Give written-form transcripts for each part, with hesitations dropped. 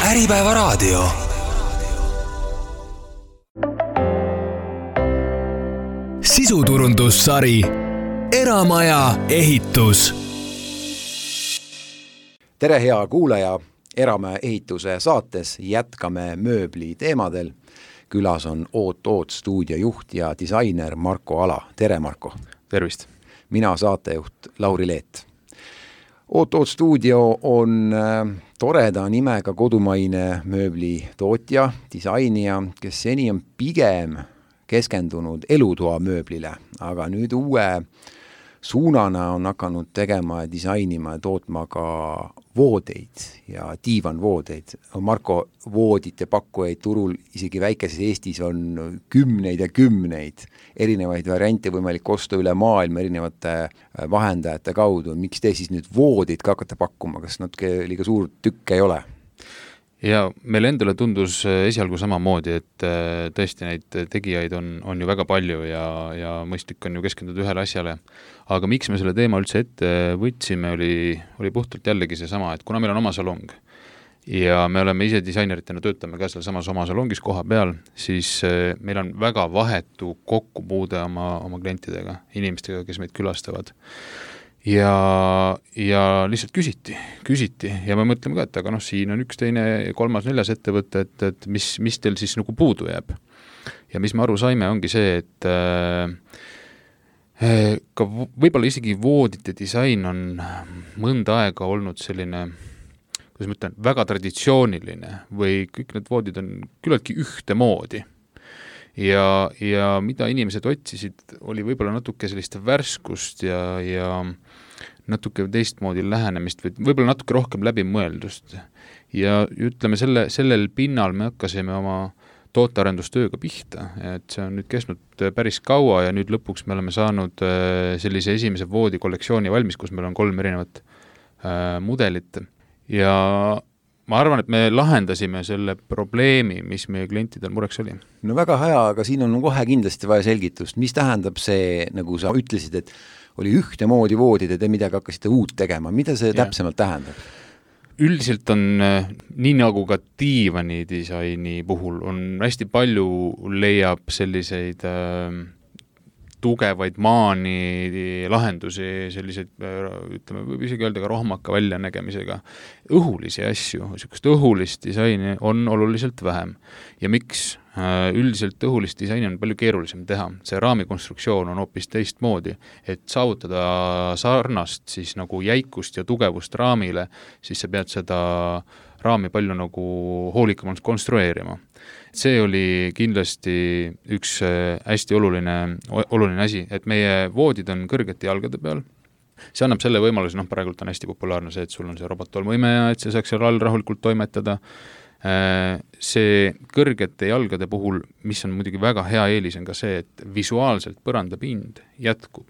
Äripäevaraadio. Sisuturundussari Eramaja ehitus. Tere hea kuulaja, Eramaja ehituse saates jätkame mööbli teemadel. Külas on Oot stuudio juht ja disainer Marko Ala. Tere Marko! Tervist! Mina saatejuht Lauri Leet. Oot stuudio on toreda nimega kodumaine mööbli tootja, disainija, kes seni on pigem keskendunud elutoa mööblile, aga nüüd uue suunana on hakanud tegema ja disainima ja tootma ka voodeid ja diivanvoodeid. Marko, voodite pakkujaid turul isegi väikeses Eestis on kümneid ja kümneid erinevaid variante võimalik osta üle maailma erinevate vahendajate kaudu. Miks te siis nüüd voodid ka hakkate pakkuma? Kas natuke liiga suur tükk ei ole? Ja meil endale tundus esialgu samamoodi, et tõesti neid tegijaid on ju väga palju ja mõistlik on ju keskenduda ühele asjale. Aga miks me selle teema üldse ette võtsime, oli puhtalt jällegi see sama, et kuna meil on oma salong ja me oleme ise disaineritena töötame ka seal samas oma salongis koha peal, siis meil on väga vahetu kokkupuude oma klientidega, inimestega, kes meid külastavad. Ja lihtsalt küsiti ja me mõtleme ka, et aga siin on üks, teine, kolmas, neljas ettevõte, et mis teil siis nagu puudu jääb. Ja mis me aru saime, ongi see, et ka võib-olla isegi voodite disain on mõnda aega olnud selline, kuidas ma ütlen, väga traditsiooniline või kõik need voodid on küllaltki ühte moodi. Ja mida inimesed otsisid, oli võib-olla natuke sellist värskust ja natuke teistmoodi lähenemist või võib-olla natuke rohkem läbimõeldust. Ja ütleme, sellel pinnal me hakkasime oma tootearendustööga pihta, et see on nüüd kestnud päris kaua ja nüüd lõpuks me oleme saanud sellise esimese voodi kollektsiooni valmis, kus meil on 3 erinevat mudelit ja ma arvan, et me lahendasime selle probleemi, mis meie klientidel mureks oli. No väga hea, aga siin on kohe kindlasti vaja selgitust. Mis tähendab see, nagu sa ütlesid, et oli ühte moodi voodid ja te midagi hakkasite uut tegema? Mida see täpsemalt tähendab? Üldiselt on, nii nagu ka diivani disaini puhul, on hästi palju leiab selliseid tugevaid maani lahendusi, selliseid, ütleme, võib isegi öelda ka rohmaka väljanägemisega. Õhulisi asju, niisugust õhulist disaini on oluliselt vähem. Ja miks? Üldiselt õhulist disaini on palju keerulisem teha. See raamikonstruktsioon on hoopis teistmoodi, et saavutada sarnast siis nagu jäikust ja tugevust raamile, siis sa pead seda raami palju nagu hoolikamalt konstrueerima. See oli kindlasti üks hästi oluline asi, et meie voodid on kõrgete jalgade peal. See annab selle võimaluse, praegult on hästi populaarne see, et sul on see robottolmuime ja et see saaks seal all rahulikult toimetada. See kõrgete jalgade puhul, mis on muidugi väga hea eelis, on ka see, et visuaalselt põrandapind jätkub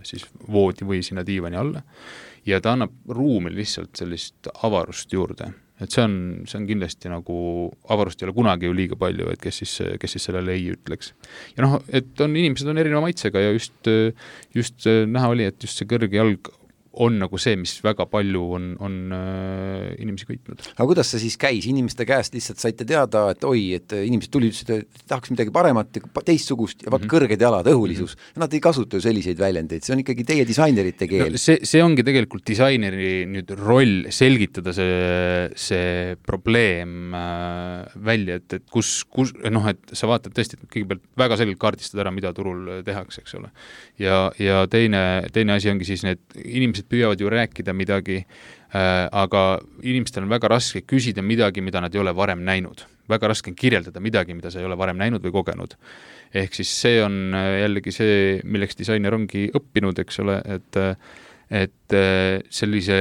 siis voodi või sinna diivani alla ja ta annab ruumi lihtsalt sellist avarust juurde. Et see on kindlasti nagu avarust ei ole kunagi ju liiga palju, et kes siis sellele ei ütleks. Ja et inimesed on erineva maitsega ja just näha oli, et just see kõrge jalg on nagu see, mis väga palju on inimesi kõitnud. Aga kuidas see siis käis? Inimeste käest lihtsalt saite teada, et et inimesed tulid, et tahaks midagi paremat, teistsugust ja kõrged jalad, õhulisus. Ja nad ei kasuta ju selliseid väljendeid. See on ikkagi teie disainerite keel. No, see ongi tegelikult disaineri nüüd roll selgitada see probleem välja, et kus et sa vaatad tõesti, et kõigepealt väga selgelt kaardistad ära, mida turul tehakse, eks ole. Ja teine asi ongi siis need inimesed püüavad ju rääkida midagi, aga inimestel on väga raske küsida midagi, mida nad ei ole varem näinud. Väga raske on kirjeldada midagi, mida sa ei ole varem näinud või kogenud. Ehk siis see on jällegi see, milleks disainer ongi õppinud, eks ole, et sellise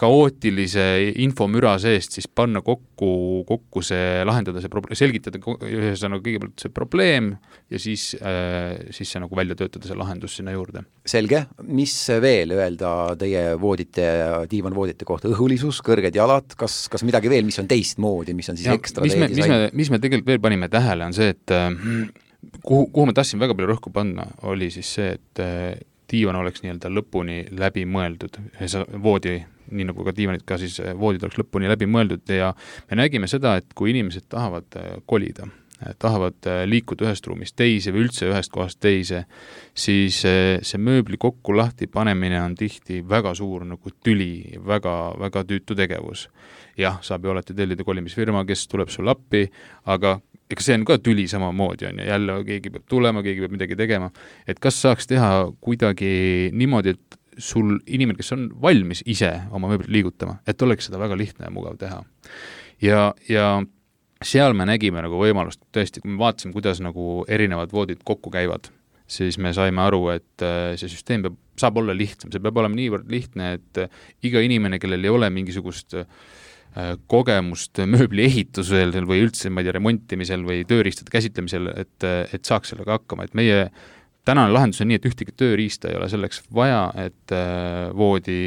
kaootilise infomüra seest siis panna kokku see, lahendada see probleem, selgitada ühesõnaga kõigepealt see probleem ja siis see nagu välja töötada see lahendus sinna juurde. Selge. Mis veel öelda teie voodite, diivanvoodite kohta? Õhulisus, kõrged jalad, kas midagi veel, mis on teistmoodi, mis on siis ekstra teie disain? Mis me tegelikult veel panime tähele on see, et kuhu me tahtsime väga palju rõhku panna, oli siis see, et diivan oleks nii-öelda lõpuni läbi mõeldud, voodi nii nagu ka diivanid ka siis voodid oleks lõpuni läbi mõeldud ja me nägime seda, et kui inimesed tahavad kolida, tahavad liikuda ühest ruumist teise või üldse ühest kohast teise, siis see mööbli kokku lahti panemine on tihti väga suur nagu tüli, väga, väga tüütu tegevus. Jah, saab ju alati tellida kolimisfirma, kes tuleb sul appi, aga ega see on ka tüli samamoodi on ja jälle keegi peab tulema, keegi peab midagi tegema. Et kas saaks teha kuidagi niimoodi, et sul inimene, kes on valmis ise oma mööblit liigutama, et oleks seda väga lihtne ja mugav teha. Ja seal me nägime nagu võimalust, tõesti, kui me vaatasime, kuidas nagu erinevad voodid kokku käivad, siis me saime aru, et see süsteem saab olla lihtsam, see peab olema niivõrd lihtne, et iga inimene, kellel ei ole mingisugust kogemust mööbli ehitusel või üldse, ma ei tea, remontimisel või tööriistade käsitlemisel, et saaks sellega hakkama, et meie tänane lahendus on nii, et ühtegi tööriista ei ole selleks vaja, et voodi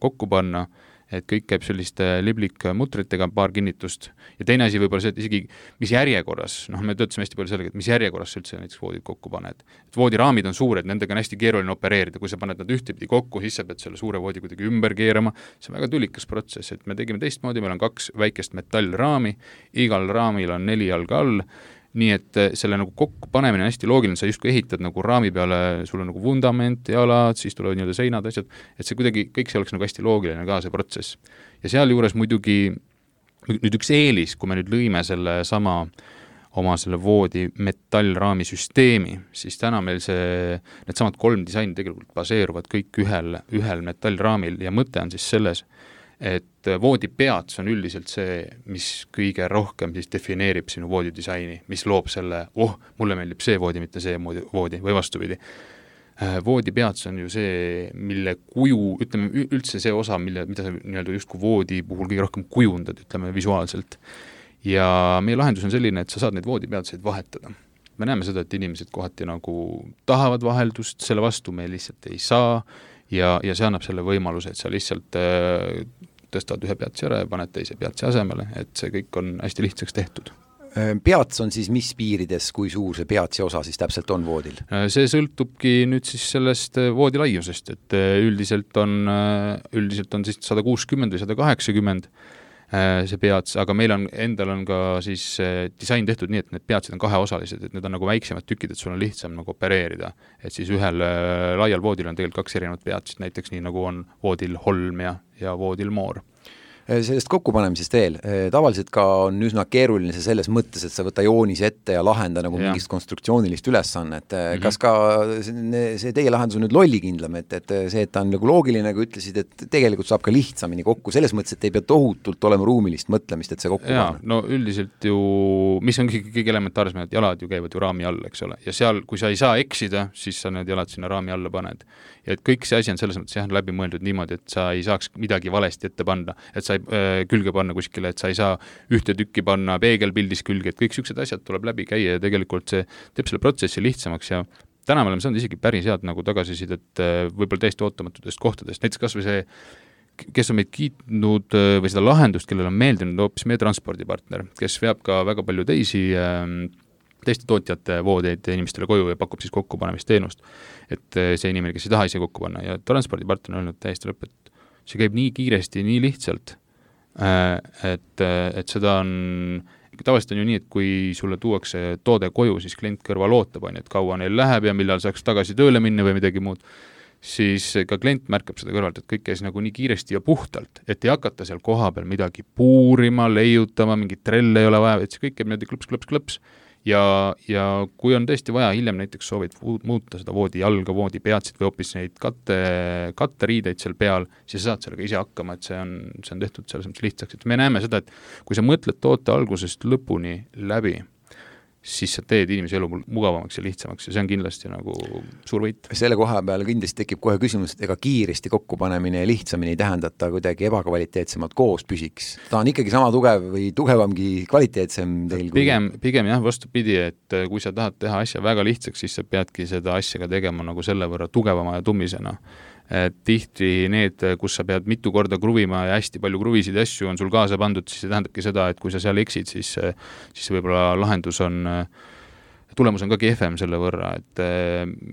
kokku panna, et kõik käib selliste liblikmutritega, paar kinnitust. Ja teine asi võib-olla see, et isegi mis järjekorras, me töötasime hästi palju sellega, et mis järjekorras üldse näiteks voodid kokku paned. Et voodiraamid on suured, nendega on hästi keeruline opereerida, kui sa paned nad ühtepidi kokku, siis sa pead selle suure voodi kuidagi ümber keerama, see on väga tülikas protsess, et me tegime teistmoodi, meil on 2 väikest metallraami, igal raamil on 4 jalga all, nii et selle nagu kokku panemine on hästi loogiline, sa justkui ehitad nagu raami peale, sul on nagu vundament, jalad, siis tulevad nii-öelda seinad, asjad, et see kuidagi, kõik see oleks nagu hästi loogiline ka see protsess. Ja seal juures muidugi nüüd üks eelis, kui me nüüd lõime selle sama oma selle voodi metallraami süsteemi, siis täna meil need samad 3 disaini tegelikult baseeruvad kõik ühel metallraamil ja mõte on siis selles, et voodi peats on üldiselt see, mis kõige rohkem siis defineerib sinu voodi disaini, mis loob selle, mulle meeldib see voodi, mitte see voodi või vastupidi. Voodi peats on ju see, mille kuju, ütleme üldse see osa, mida sa nii-öelda justkui voodi puhul kõige rohkem kujundad, ütleme visuaalselt. Ja meie lahendus on selline, et sa saad neid voodi peatseid vahetada. Me näeme seda, et inimesed kohati nagu tahavad vaheldust, selle vastu me lihtsalt ei saa ja see annab selle võimaluse, et sa lihtsalt tõstad ühe peatsi ära ja paned teise peatsi asemele, et see kõik on hästi lihtsaks tehtud. Peats on siis mis piirides, kui suur see peatsi osa siis täpselt on voodil? See sõltubki nüüd siis sellest voodi laiusest, et üldiselt on siis 160 või 180 see peats, aga meil endal on ka siis disain tehtud nii, et need peatsid on kaheosalised, et need on nagu väiksemad tükid, et sul on lihtsam nagu opereerida. Et siis ühel laial voodil on tegelikult 2 erinevat peatsid, näiteks nii nagu on voodil Holm ja voodil Moor. Sellest kokkupanemisest veel, tavaliselt ka on üsna keeruline see selles mõttes, et sa võta joonis ette ja lahenda nagu mingist konstruktsioonilist ülesannet. Kas ka see teie lahendus on nüüd lollikindlam, et see, et ta on nagu loogiline, kui ütlesid, et tegelikult saab ka lihtsamini kokku, selles mõttes, et ei pea tohutult olema ruumilist mõtlemist, et see kokku panna? No üldiselt ju, mis on kõige elementaarsem, et jalad ju käivad ju raami all, eks ole, ja seal, kui sa ei saa eksida, siis sa need jalad sinna raami alla paned. Ja et kõik see asi on selles mõttes läbi mõeldud niimoodi, et sa ei saaks midagi valesti ette panna, et sa ei külge panna kuskile, et sa ei saa ühte tükki panna peegelpildis külge, et kõik sellised asjad tuleb läbi käia ja tegelikult see teeb selle protsessi lihtsamaks ja täna me oleme saanud isegi päris head nagu tagasisidet võib-olla täiesti ootamatutest kohtadest, näiteks kas või see, kes on meid kiitnud või seda lahendust, kellel on meeldinud hoopis meie transpordipartner, kes veab ka väga palju teiste tootjate voodeid inimestele koju ja pakub siis kokkupanemisteenust. Et see inimene, kes ei taha ise kokku panna ja transpordipartner on öelnud täiesti lõpp, et see käib nii kiiresti, nii lihtsalt, et seda on, tavaliselt on ju nii, et kui sulle tuuakse toode koju, siis klient kõrval ootab, et kaua neil läheb ja millal saaks tagasi tööle minna või midagi muud, siis ka klient märkab seda kõrvalt, et kõik käis nagu nii kiiresti ja puhtalt, et ei hakata seal koha peal midagi puurima, leiutama, mingit trelle ei ole vaja, et see kõik käib niimoodi klõps. Ja kui on tõesti vaja, hiljem näiteks soovid muuta seda voodi jalga, voodi peatsid või hoopis neid katteriideid seal peal, siis saad sellega ise hakkama, et see on tehtud selles mõttes lihtsaks. Et me näeme seda, et kui sa mõtled toote algusest lõpuni läbi, siis sa teed inimese elu mugavamaks ja lihtsamaks ja see on kindlasti nagu suur võit. Selle koha peal kindlasti tekib kohe küsimus, et ega kiiresti kokkupanemine ja lihtsamini ei tähendata kuidagi ebakvaliteetsemalt koos püsiks. Ta on ikkagi sama tugev või tugevamgi kvaliteetsem teil? Pigem jah, vastupidi, et kui sa tahad teha asja väga lihtsaks, siis sa peadki seda asja ka tegema nagu selle võrra tugevama ja tummisena. Et tihti need, kus sa pead mitu korda kruvima ja hästi palju kruvisid ja asju on sul kaasa pandud, siis see tähendabki seda, et kui sa seal eksid, siis võib-olla lahendus on tulemus on ka kehvem selle võrra, et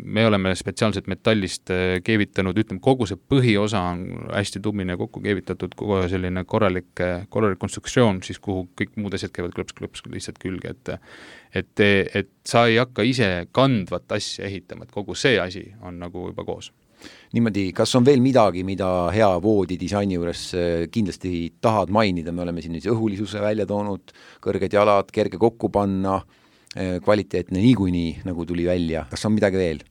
me oleme spetsiaalselt metallist keevitanud, ütleme, kogu see põhiosa on hästi tummine kokku keevitatud, kogu selline korralik konstruktsioon, siis kuhu kõik muud asjad käivad klõps lihtsalt külge, et sa ei hakka ise kandvat asja ehitama, et kogu see asi on nagu juba koos. Niimoodi, kas on veel midagi, mida hea voodi disaini juures kindlasti tahad mainida, me oleme siin õhulisuse välja toonud, kõrged jalad, kerge kokku panna, kvaliteetne niikuinii, nagu tuli välja. Kas on midagi veel?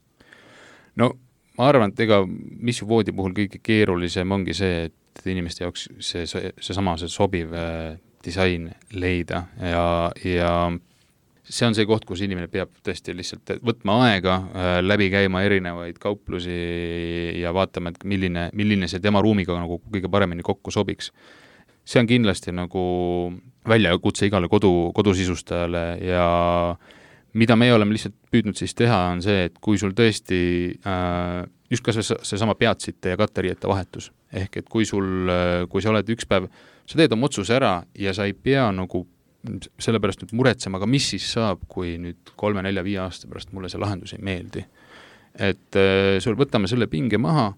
No ma arvan, et ega mis voodi puhul kõige keerulisem ongi see, et inimeste jaoks see sobiv disain leida ja see on see koht, kus inimene peab tõesti lihtsalt võtma aega, läbi käima erinevaid kauplusi ja vaatama, et milline see tema ruumiga nagu kõige paremini kokku sobiks. See on kindlasti nagu väljakutse igale kodusisustajale ja mida me oleme lihtsalt püüdnud siis teha, on see, et kui sul tõesti just kas see sama peatsite ja katteriiete vahetus, ehk et kui sa oled üks päev, sa teed oma otsuse ära ja sa ei pea nagu sellepärast nüüd muretsema, aga mis siis saab, kui nüüd 3, 4, 5 aasta pärast mulle see lahendus ei meeldi. Et sul võtame selle pinge maha,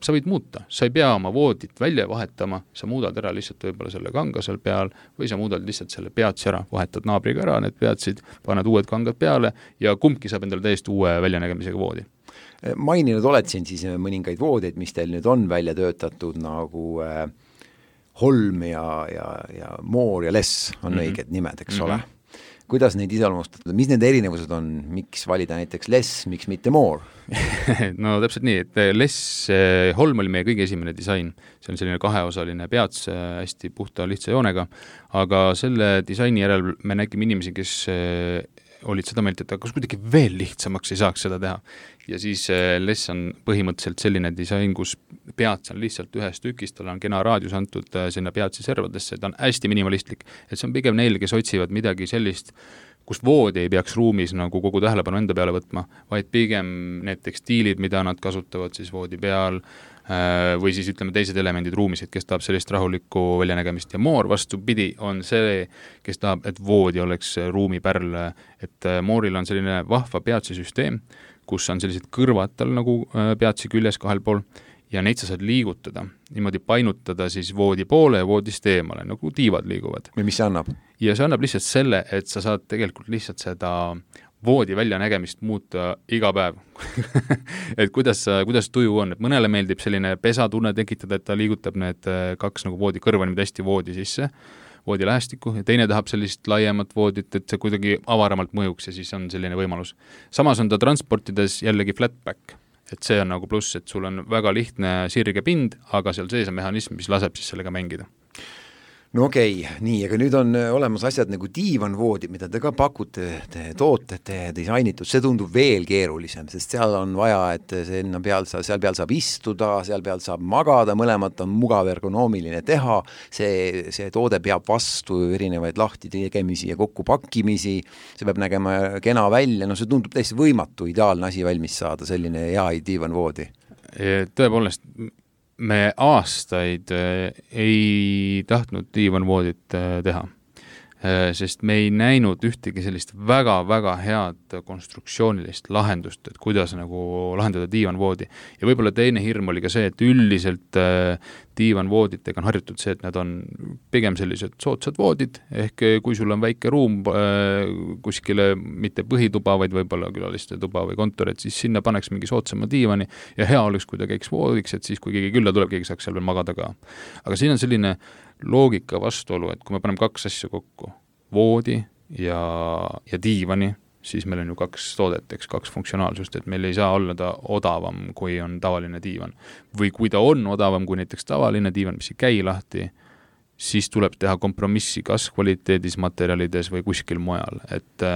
sa võid muuta, sa ei pea oma voodit välja vahetama, sa muudad ära lihtsalt võib-olla selle kanga seal peal või sa muudad lihtsalt selle peatsi ära, vahetad naabriga ära need peatsid, paned uued kangad peale ja kumbki saab endale täiesti uue väljanägemisega voodi. Maininud oled siin siis mõningaid voodeid, mis teil nüüd on välja töötatud nagu Holm ja Moor ja Less on õiged nimed, eks ole. Kuidas neid iseloomustada, mis need erinevused on, miks valida näiteks Less, miks mitte Moor? No täpselt nii, et Less, Holm oli meie kõige esimene disain, see on selline kaheosaline peats hästi puhta lihtsa joonega, aga selle disaini järel me nägime inimesi, kes olid seda meelt, et kas kuidagi veel lihtsamaks ei saaks seda teha. Ja siis Less on põhimõtteliselt selline disain, kus peats on lihtsalt ühest tükist, tal on kena raadius antud sinna peatsi servadesse, ta on hästi minimalistlik, et see on pigem neil, kes otsivad midagi sellist, kus voodi ei peaks ruumis nagu kogu tähelepanu enda peale võtma, vaid pigem need tekstiilid, mida nad kasutavad siis voodi peal, või siis ütleme teised elemendid ruumis, et kes tahab sellist rahulikku väljanägemist ja Moor vastupidi on see, kes tahab, et voodi oleks ruumipärl, et Mooril on selline vahva peatsisüsteem, kus on sellised kõrvad tal nagu peatsi küljes kahel pool ja neid sa saad liigutada, niimoodi painutada siis voodi poole ja voodist eemale, nagu tiivad liiguvad. Ja mis see annab? Ja see annab lihtsalt selle, et sa saad tegelikult lihtsalt seda voodi väljanägemist muuta iga päev. Et kuidas tuju on, et mõnele meeldib selline pesatunne tekitada, et ta liigutab need kaks nagu voodi kõrva niimoodi hästi voodi sisse, voodi lähestikku, ja teine tahab sellist laiemat voodit, et see kuidagi avaramalt mõjuks ja siis on selline võimalus. Samas on ta transportides jällegi flatback, et see on nagu pluss, et sul on väga lihtne sirge pind, aga seal sees on mehhanism, mis laseb siis sellega mängida. No okei, nii, aga nüüd on olemas asjad nagu diivanvoodid, mida te ka pakute, te toote, te disainitud, see tundub veel keerulisem, sest seal on vaja, et seal peal saab istuda, seal peal saab magada, mõlemat on mugav ergonoomiline teha, see toode peab vastu erinevaid lahti tegemisi ja kokkupakkimisi, see peab nägema kena välja, no see tundub täiesti võimatu ideaalne asi valmis saada, selline hea diivanvoodi. Tõepoolest, me aastaid ei tahtnud diivanvoodit teha, sest me ei näinud ühtegi sellist väga-väga head konstruktsioonilist lahendust, et kuidas nagu lahendada diivanvoodi. Ja võib-olla teine hirm oli ka see, et üldiselt diivanvooditega on harjutud see, et nad on pigem sellised soodsad voodid, ehk kui sul on väike ruum kuskile mitte põhituba, vaid võib-olla külaliste tuba või kontor, et siis sinna paneks mingi soodsama diivani ja hea oleks, kui ta käiks voodiks, et siis kui keegi külla tuleb, keegi saaks seal veel magada ka. Aga siin on selline loogika vastuolu, et kui me paneme kaks asja kokku, voodi ja diivani, siis meil on ju kaks toodet, eks, kaks funktsionaalsust, et meil ei saa olla ta odavam, kui on tavaline diivan. Või kui ta on odavam kui näiteks tavaline diivan, mis ei käi lahti, siis tuleb teha kompromissi kas kvaliteedis, materjalides või kuskil mujal. Et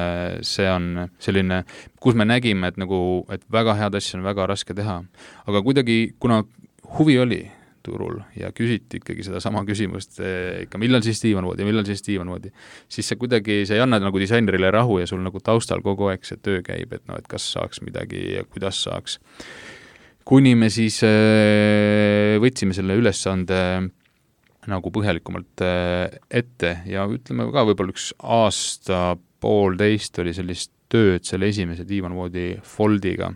see on selline, kus me nägime, et väga head asja on väga raske teha. Aga kuidagi, kuna huvi oli turul ja küsiti ikkagi seda sama küsimust, ikka millal siis diivanvoodi, siis see kuidagi, see ei anna nagu disainerile rahu ja sul nagu taustal kogu aeg see töö käib, et kas saaks midagi ja kuidas saaks. Kuni me siis võtsime selle ülesande nagu põhjalikumalt ette ja ütleme ka võib-olla üks aasta poolteist oli sellist tööd selle esimese diivanvoodi foldiga,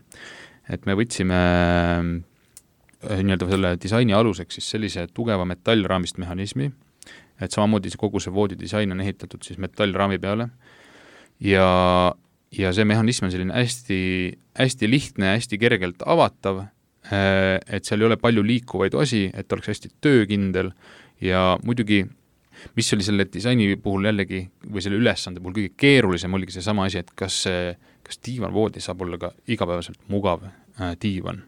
et me võtsime nii-öelda selle disaini aluseks siis sellise tugeva metallraamist mehhanismi, et samamoodi kogu see voodi disain on ehitatud siis metallraami peale ja see mehhanism on selline hästi, hästi lihtne, hästi kergelt avatav, et seal ei ole palju liikuvaid osi, et oleks hästi töökindel ja muidugi mis oli selle disaini puhul jällegi, või selle ülesande puhul kõige keerulisem oligi see sama asi, et kas diivanvoodi saab olla ka igapäevaselt mugav diivan.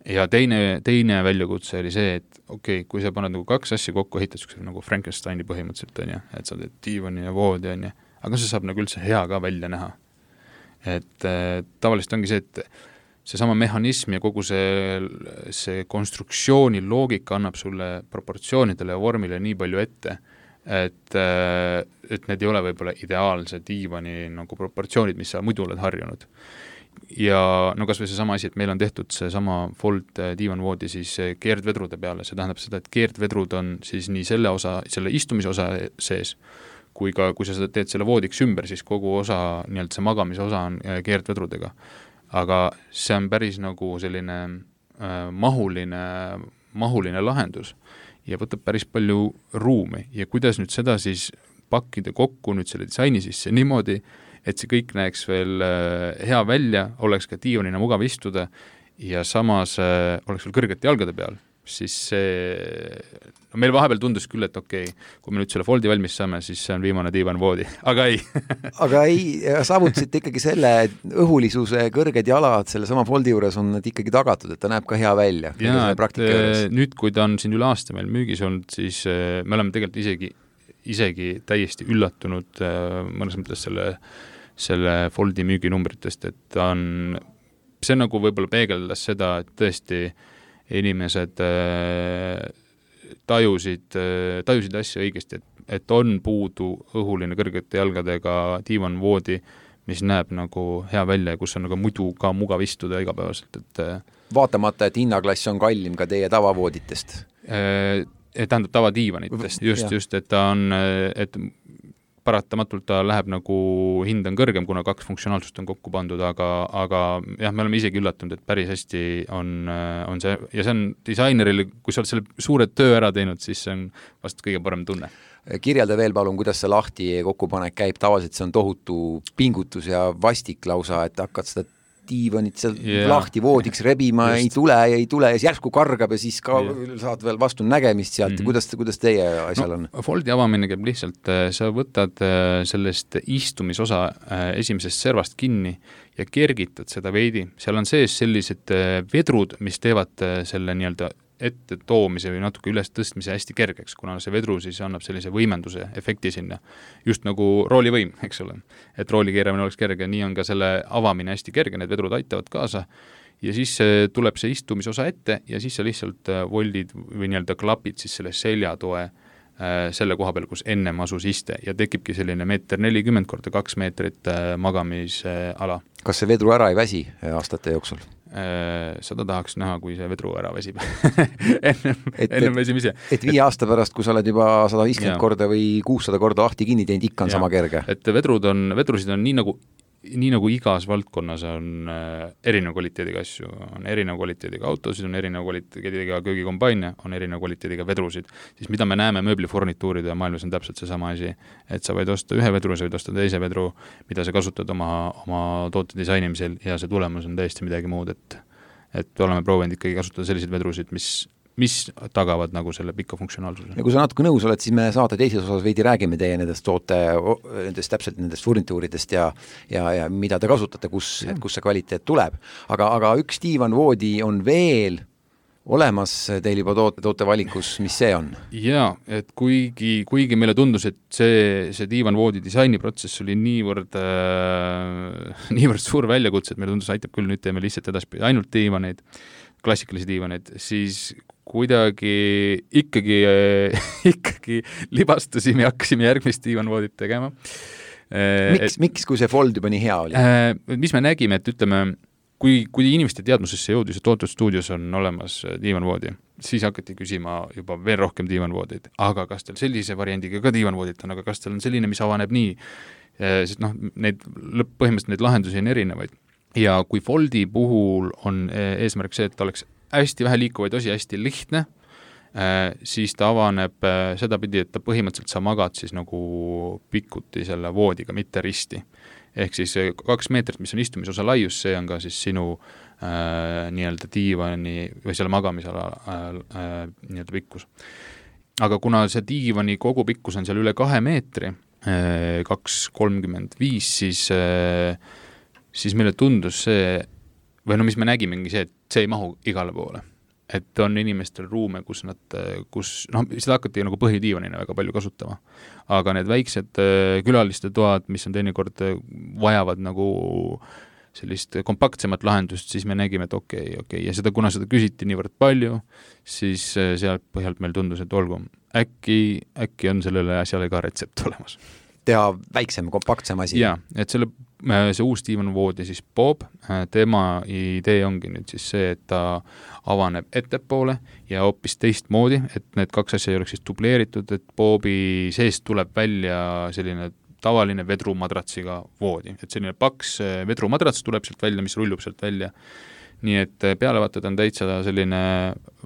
Ja teine väljakutse oli see, et okei, kui sa paned nagu kaks asja kokku, ehitad nagu Frankensteini põhimõtteliselt, on ju, et sa teed diivani ja voodi, on ju, aga see saab nagu üldse hea ka välja näha. Et tavaliselt ongi see, et seesama mehhanism ja kogu see konstruktsiooni loogika annab sulle proportsioonidele ja vormile nii palju ette, et need ei ole võib-olla ideaalse diivani nagu proportsioonid, mis sa muidu oled harjunud. Ja no kas või seesama asi, et meil on tehtud seesama Fold diivanvoodi siis keerdvedrude peale, see tähendab seda, et keerdvedrud on siis nii selle istumise osa sees, kui ka kui sa teed selle voodiks ümber, siis kogu osa, nii-öelda see magamise osa on keerdvedrudega. Aga see on päris nagu selline mahuline lahendus ja võtab päris palju ruumi ja kuidas nüüd seda siis pakkida kokku nüüd selle disaini sisse niimoodi, et see kõik näeks veel hea välja, oleks ka diivanina mugav istuda ja samas oleks veel kõrgete jalgade peal, siis meil vahepeal tundus küll, et okei, kui me nüüd selle foldi valmis saame, siis see on viimane diivanvoodi, aga ei. Aga ei, saavutasite ikkagi selle õhulisuse kõrged jalad selle sama foldi juures on need ikkagi tagatud, et ta näeb ka hea välja. Ja, nüüd kui ta on siin üle aasta meil müügis olnud, siis me oleme tegelikult isegi täiesti üllatunud mõnes mõttes selle foldi müüginumbritest, et see nagu võib-olla peegeldas seda, et tõesti inimesed tajusid asja õigesti, et on puudu õhuline kõrgete jalgadega diivanvoodi, mis näeb nagu hea välja ja kus on nagu muidu ka mugav istuda igapäevaselt. Vaatamata, et hinnaklass on kallim ka teie tavavooditest? Tähendab tavadiivanitest, just, et ta on, et paratamatult ta läheb nagu hind on kõrgem, kuna kaks funktsionaalsust on kokku pandud, aga jah, me oleme isegi üllatunud, et päris hästi on see, ja see on disaineril, kui sa oled selle suure töö ära teinud, siis see on vast kõige parem tunne. Kirjelda veel palun, kuidas see lahti kokkupanek käib, tavaliselt see on tohutu pingutus ja vastik lausa, et hakkad seda diivanit seal lahti voodiks rebima, ei tule ja siis järsku kargab ja siis ka saad veel vastu nägemist sealt. Kuidas teie asjal on? Foldi avamine käib lihtsalt, sa võtad sellest istumisosa esimesest servast kinni ja kergitad seda veidi. Seal on sees sellised vedrud, mis teevad selle nii-öelda ette toomise või natuke üles tõstmise hästi kergeks, kuna see vedru siis annab sellise võimenduse efekti sinna. Just nagu roolivõim, eks ole. Et rooli keeramine oleks kerge, nii on ka selle avamine hästi kerge, need vedrud aitavad kaasa ja siis tuleb see istumisosa ette ja siis sa lihtsalt voldid või nii-öelda klapid siis selle seljatoe selle koha peal, kus ennem asus iste ja tekibki selline 1,40 m korda 2 meetrit magamisala. Kas see vedru ära ei väsi aastate jooksul? Seda tahaks näha, kui see vedru ära väsib ennem väsimise. Et 5 aasta pärast, kui sa oled juba 150 korda või 600 korda lahti kinni teinud, ikka on sama kerge. Et vedrusid on nii nagu igas valdkonnas on erineva kvaliteediga asju, on erineva kvaliteediga autosid, on erineva kvaliteediga köögikompaine, on erineva kvaliteediga vedrusid, siis mida me näeme mööblifornituuride maailmas on täpselt see sama asi, et sa võid osta ühe vedru, sa võid osta teise vedru, mida sa kasutad oma toote disainimisel ja see tulemus on täiesti midagi muud, et oleme proovinud ikkagi kasutada selliseid vedrusid, mis tagavad nagu selle pika funktsionaalsuse. Ja kui sa natuke nõus oled, siis me saate teises osas veidi räägime teie nendest täpselt nendest furnituuridest ja mida te kasutate, kus see kvaliteet tuleb. Aga üks diivanvoodi on veel olemas teil juba toote valikus, mis see on? Jaa, et kuigi meile tundus, et see diivanvoodi disainiprotsess oli niivõrd suur väljakutse, et meile tundus, aitab küll, nüüd teeme lihtsalt edaspidi ainult diivaneid, klassikalisi diivaneid, siis kuidagi ikkagi libastusime ja hakkasime järgmist diivanvoodit tegema. Miks, kui see Fold juba nii hea oli? Mis me nägime, et ütleme, kui inimeste teadmusesse jõudis, et tootestuudios on olemas diivanvoodi, siis hakati küsima juba veel rohkem diivanvoodid. Aga kas teil sellise variandiga ka diivanvoodid on, aga kas teil on selline, mis avaneb nii? sest põhimõtteliselt neid lahendusi on erinevaid. Ja kui Foldi puhul on eesmärk see, et ta oleks hästi vähe liikuvaid osi, hästi lihtne, siis ta avaneb sedapidi, et ta põhimõtteliselt sa magad siis nagu pikuti selle voodiga, mitte risti. Ehk siis 2 meetrit, mis on istumisosa laius, see on ka siis sinu nii-öelda diivani või selle magamisala nii-öelda pikkus. Aga kuna see diivani kogu pikkus on seal üle 2 meetri, 2,35, siis meile tundus see, või mis me nägimegi see, et see ei mahu igale poole. Et on inimestel ruume, kus seda hakati nagu põhidiivanina väga palju kasutama. Aga need väiksed külaliste toad, mis on teinekord vajavad nagu sellist kompaktsemat lahendust, siis me nägime, et okei. Ja kuna seda küsiti niivõrd palju, siis sealt põhjalt meil tundus, et olgu, äkki on sellele asjale ka retsept olemas. Teha väiksem, kompaktsem asi. Jaa, et see uus diivanvoodi siis Bob, tema idee ongi nüüd siis see, et ta avaneb ettepoole ja hoopis teistmoodi, et need 2 asja ei oleks siis dubleeritud, et Bobi seest tuleb välja selline tavaline vedrumadratsiga voodi, et selline paks vedrumadrats tuleb sealt välja, mis rullub sealt välja. Nii et peale vaatad on täitsa selline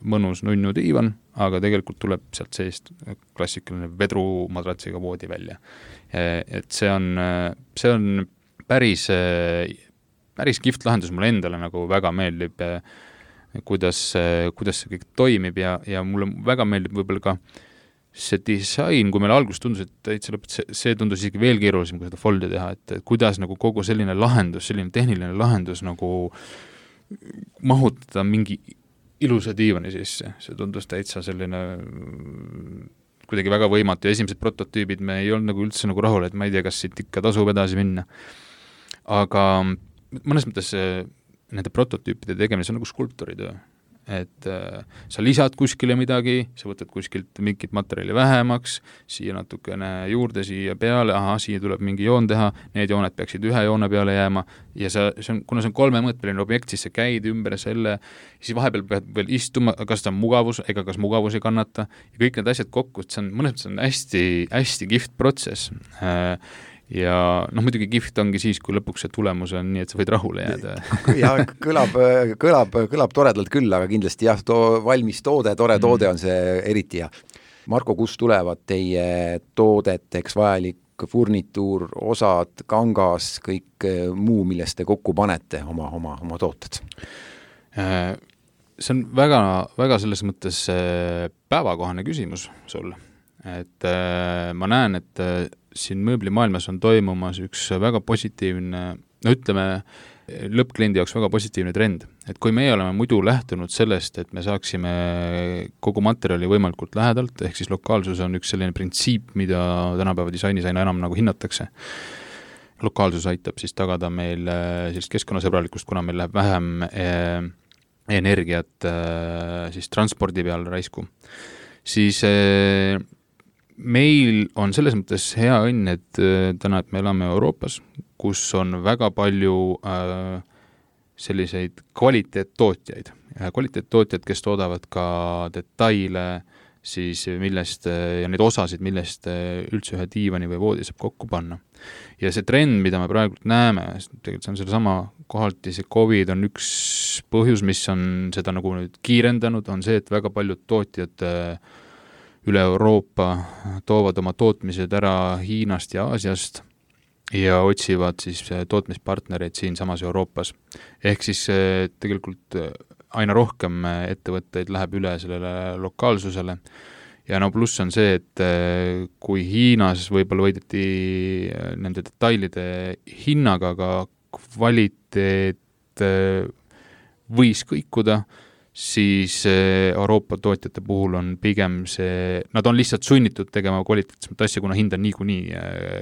mõnus nunnu diivan, aga tegelikult tuleb sealt seest klassikaline vedrumadratsiga voodi välja. Et see on päris kihvt lahendus, mulle endale nagu väga meeldib, kuidas see kõik toimib ja mulle väga meeldib võib-olla ka see disain, kui meil alguses tundus, et see tundus isegi veel keerulisem, kui seda foldi teha, et kuidas nagu kogu selline lahendus, selline tehniline lahendus nagu mahutada mingi ilusa diivani sisse. See tundus täitsa selline kuidagi väga võimatu ja esimesed prototüübid me ei olnud nagu üldse nagu rahul, et ma ei tea, kas siit ikka tasub edasi minna. Aga mõnes mõttes nende prototüüpide tegemine, see on nagu skulptoritöö. Et sa lisad kuskile midagi, sa võtad kuskilt mingit materjali vähemaks, siia natukene juurde, siia peale, siia tuleb mingi joon teha, need jooned peaksid ühe joone peale jääma ja kuna see on 3-mõõtmeline objekt, siis sa käid ümber selle, siis vahepeal pead veel istuma, kas ta on mugavus, ega kas mugavus ei kannata ja kõik need asjad kokku, et see on mõnes mõttes on hästi, hästi kihvt protsess. Ja muidugi kihvt ongi siis, kui lõpuks see tulemus on nii, et sa võid rahule jääda. Ja kõlab toredalt küll, aga kindlasti valmis toode, tore toode on see eriti ja. Marko, kust tulevad teie toodeteks vajalik furnituur, osad, kangas, kõik muu, millest te kokku panete oma tooted? See on väga, väga selles mõttes päevakohane küsimus sul. Et ma näen, et siin mööblimaailmas on toimumas üks väga positiivne, ütleme, lõppkliendi jaoks väga positiivne trend. Et kui meie oleme muidu lähtunud sellest, et me saaksime kogu materjali võimalikult lähedalt, ehk siis lokaalsus on üks selline printsiip, mida tänapäeva disainis aina enam nagu hinnatakse. Lokaalsus aitab siis tagada meil sellist keskkonnasõbralikust, kuna meil läheb vähem energiat siis transpordi peal raisku. Siis meil on selles mõttes hea õnn, et täna, et me elame Euroopas, kus on väga palju selliseid kvaliteettootjaid, kes toodavad ka detaile, siis millest, ja neid osasid, millest üldse ühe diivani või voodi saab kokku panna. Ja see trend, mida me praegu näeme, tegelikult see on sellesama kohalti, see COVID on üks põhjus, mis on seda nagu nüüd kiirendanud, on see, et väga paljud tootjad üle Euroopa toovad oma tootmised ära Hiinast ja Aasiast ja otsivad siis tootmispartnereid siin samas Euroopas. Ehk siis tegelikult aina rohkem ettevõtteid läheb üle sellele lokaalsusele ja pluss on see, et kui Hiinas võib-olla võideti nende detailide hinnaga, aga kvaliteet võis kõikuda, siis Euroopa tootjate puhul on pigem see, nad on lihtsalt sunnitud tegema kvaliteetsemat asja, kuna hind on niikuinii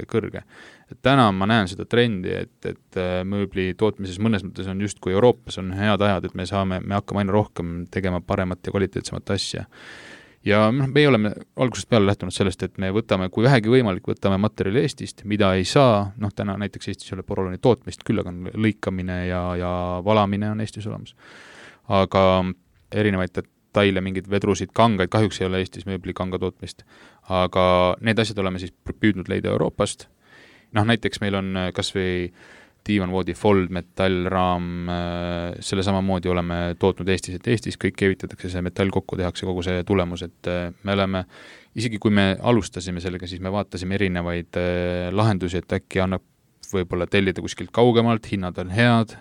kõrge. Et täna ma näen seda trendi, et mööbli tootmises mõnes mõttes on just kui Euroopas on head ajad, et me hakkame aina rohkem tegema paremat ja kvaliteetsemat asja. Ja me oleme algusest peale lähtunud sellest, et me võtame, kui vähegi võimalik, võtame materjali Eestist, mida ei saa, täna näiteks Eestis ei ole poroloni tootmist, küll aga lõikamine ja valamine on Eestis olemas. Aga erinevaid detaile, mingid vedrusid, kangaid, kahjuks ei ole Eestis mööbli kanga tootmist, aga need asjad oleme siis püüdnud leida Euroopast näiteks meil on kas või diivanvoodi fold, metallraam, selle samamoodi oleme tootnud Eestis, et Eestis kõik keevitatakse, see metall kokku, tehakse kogu see tulemus, et me oleme, isegi kui me alustasime sellega, siis me vaatasime erinevaid lahendusi, et äkki annab võib-olla tellida kuskilt kaugemalt, hinnad on head,